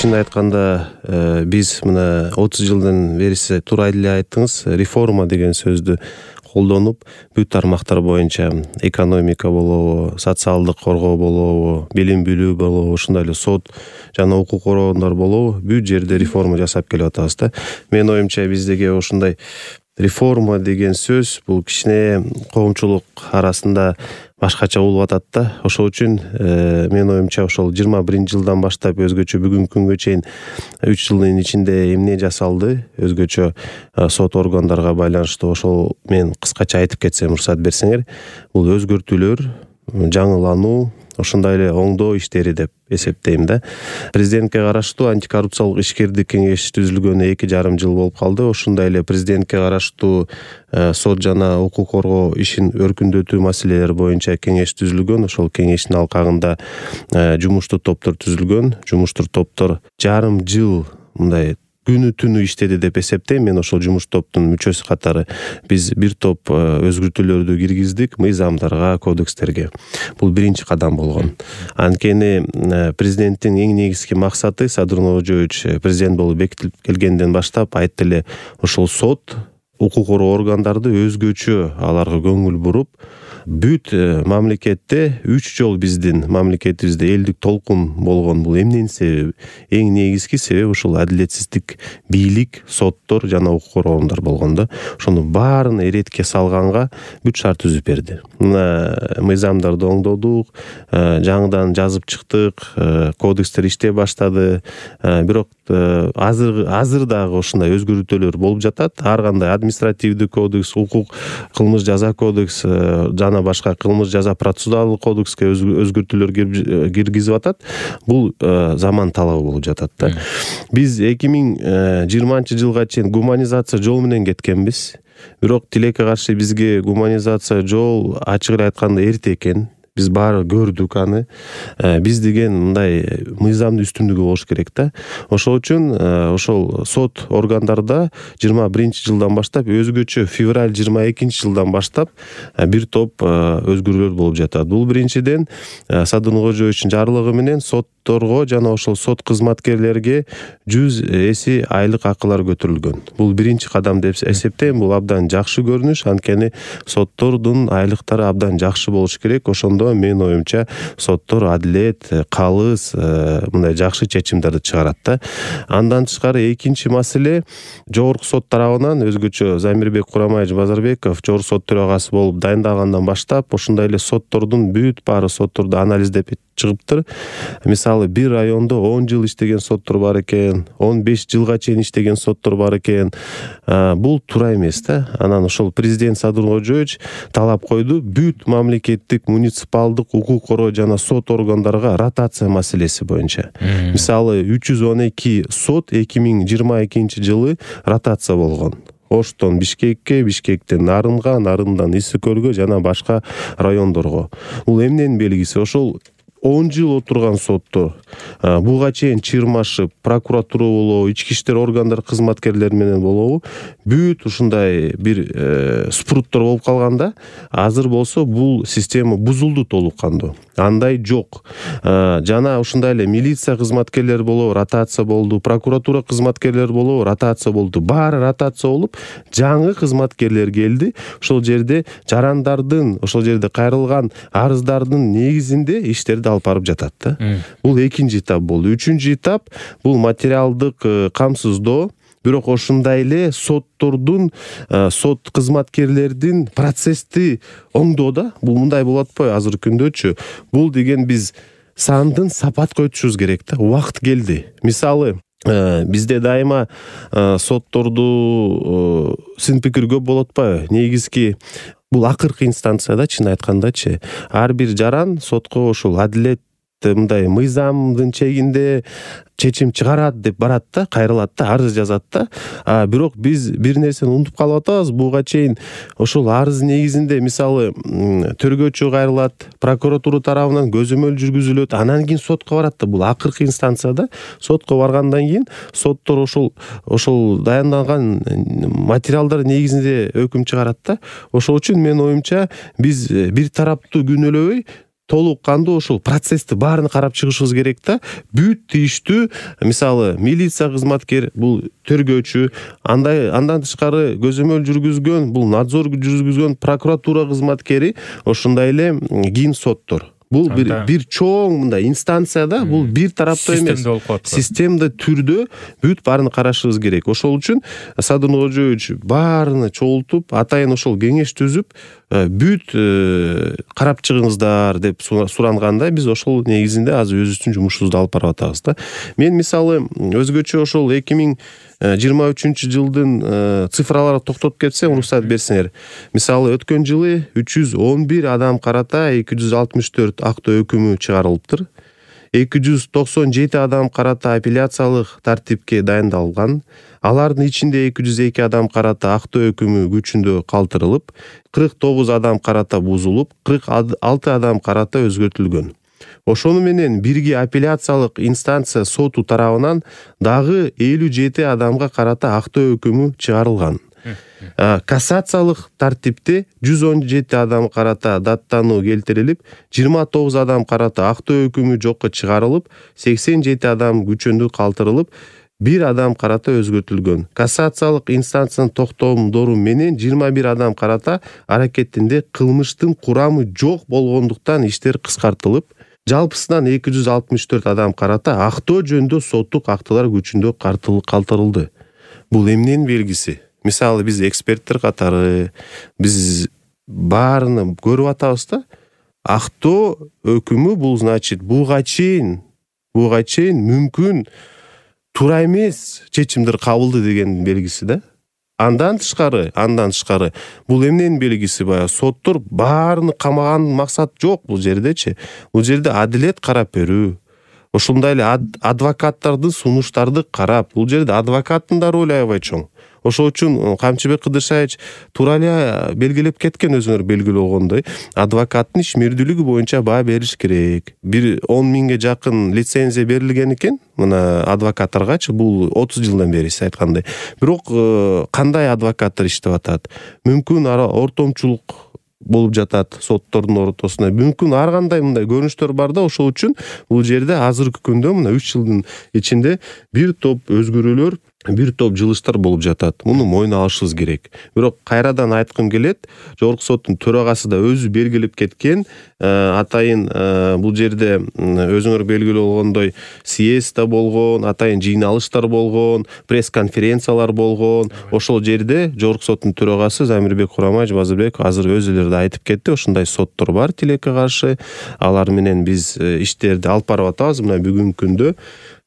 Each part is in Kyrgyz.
чын айтканда биз мына 30 жылдан бери сиз туура эле айттыңыз, реформа деген сөздү колдонуп бүт тармактар боюнча экономика болобу, социалдык коргоо болобу, билим билүү болобу, ушундай эле сот жана укук органдар болобу, бүт жерде реформа жасап келип атабыз да. Менин оюмча биздеги ушундай реформа деген сөз бул кичине коомчулук арасында башкача болуп атат да. Ошол үчүн менин оюмча ошол 21-жылдан баштап өзгөчө бүгүнкү күнгө чейин 3 жылдын ичинде эмне жасалды өзгөчө сот органдарга байланыштуу, ошол мен кыскача айтып кетсем уруксат берсеңер, бул өзгөртүүлөр, жаңылануу, ошондой эле оңдоо иштери деп эсептейм да. Президентке караштуу антикоррупциялык ишкердик кеңеш түзүлгөнүнө 2,5 жыл болуп калды. Ошондой эле президентке караштуу сот жана укук коргоо ишин өркүндөтүү маселелери боюнча кеңеш түзүлгөн. Ошол кеңештин алкагында жумуштуу топтор түзүлгөн. Жумуштуу топтор 1,5 жыл мындай күнү түнү иштеди деп эсептейм. Мен ошол жумуш топтун мүчөсү катары биз бир топ өзгөртүүлөрдү киргиздик мыйзамдарга, кодекстерге. Бул биринчи кадам болгон. Анткени президенттин эң негизги максаты Садыр Ноожоевич президент болуп бекитилип келгенден баштап айтты эле, ошол сот, укук коргоо органдарды өзгөчө аларга көңүл буруп, бүт мамлекетте 3 жол биздин мамлекетибизде элдик толкун болгон. Бул эмненин себеби? Эң негизги себеп ушул адилетсиздик, бийлик, соттор жана укук коргоо органдар болгон да. Ошону баарын эретке салганга бүт шарт түзүп берди. Мына мыйзамдарды оңдодук, жаңыдан жазып чыктык, кодекстер иштей баштады. Бирок азыр дагы ушундай өзгөртүүлөр болуп жатат. Ар кандай административдик кодекс, укук, кылмыш жаза кодекс жана башка кылмыш жаза процессуалдык кодекске өзгөртүүлөр киргизип атат. Бул заман талабы болуп жатат да. Биз 2020 жылга чейин гуманизация жол менен кеткенбиз. Бирок тилекке каршы бизге гуманизация жол ачык эле айтканда эрте экен. Биз баары көрдүк аны. Биз деген мындай мыйзамдын үстүндүгү болуш керек да. Ошол үчүн ошол сот органдарда 21-жылдан баштап өзгөчө февраль 22-жылдан баштап бир топ өзгөрүүлөр болуп жатат. Бул биринчиден Садыр Ноожоевичтин жарлыгы менен сотторго жана ошол сот кызматкерлерге 100 эси айлык акылар көтөрүлгөн. Бул биринчи кадам деп эсептейм. Бул абдан жакшы көрүнүш, анткени соттордун айлыктары абдан жакшы болуш керек. Ошондо менин оюмча соттор адилет, калыс, мындай жакшы чечимдерди чыгарат да. Андан тышкары экинчи маселе, жогорку сот тарабынан өзгөчө Замирбек Курамаевич Базарбеков жогорку сот төрагасы болуп дайындагандан баштап ошондой эле соттордун бүт баары сотторду анализдеп чыгыптыр. Мисалы, бир райондо 10 жыл иштеген соттор бар экен, 15 жылга чейин иштеген соттор бар экен. Бул туура эмес да. Анан ошол президент Садыр Ноожоевич талап койду, бүт мамлекеттик, муниципалдык, укук коргоо жана сот органдарга ротация маселеси боюнча. Мисалы, 312 сот 2022 жылы ротация болгон. Оштон Бишкекке, Бишкектен Нарынга, Нарындан Исик көлгө жана башка райондорго. Бул эмненин белгиси? Ошол 10 жыл отурган соттор буга чейин чырмашып, прокуратура болобу, ички иштер органдары кызматкерлери менен болобу, бүт ушундай бир спруттор болуп калганда, азыр болсо бул система бузулду толук кандуу. Андай жок. Жана ушундай эле милиция кызматкерлери болобу, ротация болду, прокуратура кызматкерлери болобу, ротация болду. Баары ротация болуп, жаңы кызматкерлер келди. Ошол жерде жарандардын, ошол жерде кайрылган арыздардын негизинде иштерди алып барып жатат да. Бул экинчи этап болду. Үчүнчү этап бул материалдык камсыздоо. Бирок ошондой эле соттордун, сот кызматкерлердин процессти оңдоо да. Бул мындай болот атпайбы азыркы күндөчү? Бул деген биз сандын сапатка өтүшүбүз керек да. Убакыт келди. Мисалы, бизде дайыма сотторду сын пикир көп болот атпайбы? Негизги бул акыркы инстанцияда, чын айткандачы, ар бир жаран сотко ошол адилет мындай мыйзамдын чегинде чечим чыгарат деп барат да, кайрылат да, арыз жазат да. Бирок биз бир нерсени унутуп калып атабыз. Буга чейин ошол арыз негизинде мисалы төргөөчү кайрылат, прокуратура тарабынан көзөмөл жүргүзүлөт, анан кийин сотко барат да. Бул акыркы инстанцияда. Сотко баргандан кийин соттор ошол дайындалган материалдар негизинде өкүм чыгарат да. Ошол үчүн менин оюмча биз бир тараптуу күнөөлөбөй толук кандуу ошол процессти баарын карап чыгышыбыз керек да. Бүт иштүү мисалы милиция кызматкер, бул тергөөчү, андан тышкары көзөмөл жүргүзгөн, бул надзор жүргүзгөн прокуратура кызматкери, ошондой эле кийин соттор. Бул бир чоң мындай инстанцияда, бул бир тараптуу эмес, системдүү түрдө бүт баарын карашыбыз керек. Ошол үчүн Садыр Кожоевич баарына чогултуп, атайын ошол кеңеш түзүп, бүт карап чыгыңыздар деп суранганда, биз ошол негизинде азыр өзүбүздүн жумушубузду алып барып атабыз да. Мен мисалы өзгөчө ошол 2023 жылдын цифралары токтотуп кетсем, уруксат берсеңер. Мисалы өткөн жылы 311 адам карата 264 актоо өкүмү чыгарылыптыр. 297 адам карата апелляциялык тартипке дайындалган. Алардын ичинде 202 адам карата актоо өкүмү күчүндө калтырылып, 49 адам карата бузулуп, 46 адам карата өзгөртүлгөн. Ошону менен бирге апелляциялык инстанция соту тарабынан дагы 57 адамга карата актоо өкүмү чыгарылган. Кассациялык тартипте 117 адам карата даттануу келтирилип, 29 адам карата актоо өкүмү жокко чыгарылып, 87 адам күчөндө калтырылып, 1 адам карата өзгөртүлгөн. Кассациялык инстанциянын токтомдору менен 21 адам карата аракетинде кылмыштын курамы жок болгондуктан иштер кыскартылып, жалпысынан 264 адам карата актоо жөнүндө соттук актылар күчүндө калтырылды. Бул эмненин белгиси? Мисалы биз эксперттер катары биз баарыны көрүп атабыз да. Актоо өкүмү бул значит буга чейин мүмкүн туура эмес чечимдер кабылды деген белгиси да. Андан тышкары бул эмненин белгиси? Баягы соттор баарыны камаган максат жок бул жердечи. Бул жерде адилет карап берүү. Ошондой эле адвокаттардын сунуштарды карап, бул жерде адвокаттын да ролу аябай чоң. Ошол үчүн Камчыбек Кыдыршаевич туура эле белгилеп кеткен, өзүңөр белгилөгөндөй, адвокаттын ишмердүүлүгү боюнча баа бериш керек. 10 миңге жакын лицензия берилген экен мына адвокаттаргачы, бул 30 жылдан бери сиз айткандай. Бирок кандай адвокаттар иштеп атат? Мүмкүн ортомчулук болуп жатат соттордун ортосунда. Мүмкүн ар кандай мындай көрүнүштөр бар да. Ошол үчүн бул жерде азыркы күндө мына 3 жылдын ичинде бир топ өзгөрүүлөр, бир топ жылыштар болуп жатат. Муну мойнуна алышыбыз керек. Бирок кайрадан айткым келет, жогорку соттун төрагасы да өзү белгилеп кеткен, атайын бул жерде өзүңөр белгилүү болгондой съезд да болгон, атайын жыйналыштар болгон, пресс-конференциялар болгон. Ошол жерде жогорку соттун төрагасы Замирбек Курамаевич Базырбек азыр өзүлөрү да айтып кетти. Ошондой соттор бар тилекке каршы. Алар менен биз иштерди алып барып атабыз. Мына бүгүнкү күндө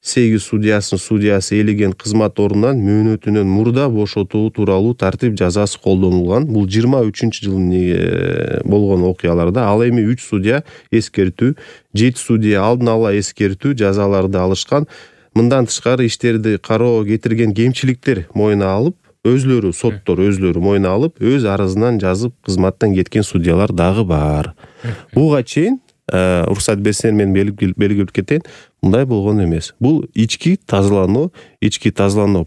8 судьясы элеген кызмат ордунан мөөнөтүнөн мурда бошотуу тууралуу тартип жазасы колдонулган. Бул 23 болгон окуяларда. Ал эми 3 судья эскертүү, 7 судья алдын ала эскертүү жазаларды алышкан. Мындан тышкары иштерди кароо кетирген кемчиликтер мойнуна алып, соттор өзлөрү мойнуна алып, өз арызынан жазып кызматтан кеткен судьялар дагы бар. Буга чейин уруксат берсеңер мен белгилеп кетейин, мындай болгон эмес. Бул ички тазалануу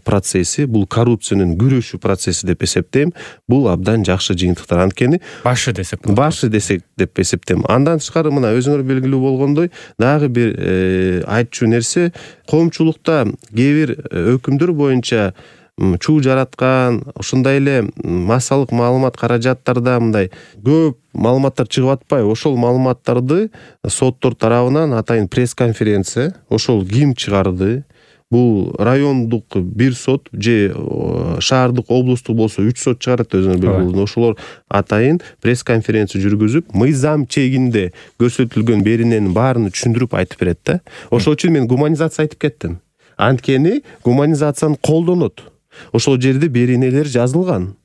процесси, бул коррупциянын күрөшүү процесси деп эсептейм. Бул абдан жакшы жыйынтыктар. Анткени башы десек деп эсептейм. Андан тышкары мына өзүңөр белгилүү болгондой, дагы бир айтчу нерсе, коомчулукта кээ бир өкүмдөр боюнча чуу жараткан, ошондой эле массалык маалымат каражаттарда мындай көп маалыматтар чыгып атпайбы? Ошол маалыматтарды соттор тарабынан атайын пресс-конференция, ошол ким чыгарды? Бул райондук бир сот же шаардык, облустук болсо 3 сот чыгарат өзүңөр белгилүү. Ошолор атайын пресс-конференция жүргүзүп, мыйзам чегинде көрсөтүлгөн берененин баарын түшүндүрүп айтып берет да. Ошол үчүн мен гуманизация айтып кеттим. Анткени гуманизацияны колдонот. Ошол жерде беренелер жазылган.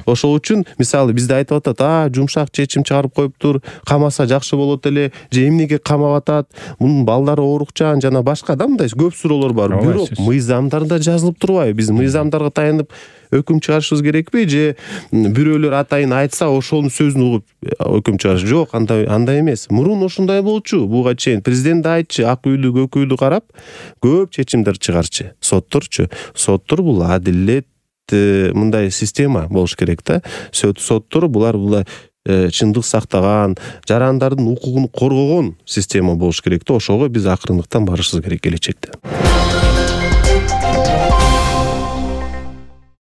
Ошол үчүн мисалы бизде айтып атат, жумшак чечим чыгарып коюптур, камаса жакшы болот эле, же эмнеге камап атат, мунун балдары оорукчан жана башка да мындай көп суроолор бар. Бирок мыйзамдарда жазылып турбайбы? Биз мыйзамдарга таянып өкүм чыгарышыбыз керекпи, же бирөөлөр атайын айтса ошонун сөзүн угуп өкүм чыгарыш? Жок, андай эмес. Мурун ошондой болчу. Буга чейин президент да айтчы, ак үйдү, көк үйдү карап көп чечимдер чыгарчы. Соттор бул адилет мындай система болуш керек да. Соттор булар чындык сактаган, жарандардын укугун коргогон система болуш керек да. Ошого биз акырындыктан барышыбыз керек келечекте.